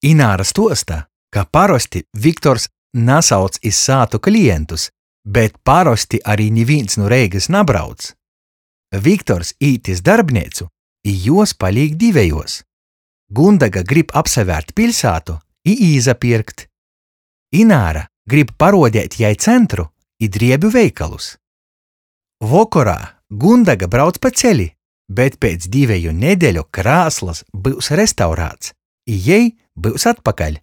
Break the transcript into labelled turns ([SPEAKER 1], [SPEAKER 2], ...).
[SPEAKER 1] Ināra stuosta, ka parosti Viktors nasauc iz sātu klientus, bet parosti ari nivīns nu Reigys nabrauc. Viktors īt iz darbneicu, i juos palīk divejuos. Gundega grib apsavērt piļsātu i īsapierkt. Ināra grib paruodeit jai centru i driebu veikalus. Vokorā Gundega brauc pa celi, bet piec diveju nedeļu krāslys byus restaurāts, i jei byus atpakaļ.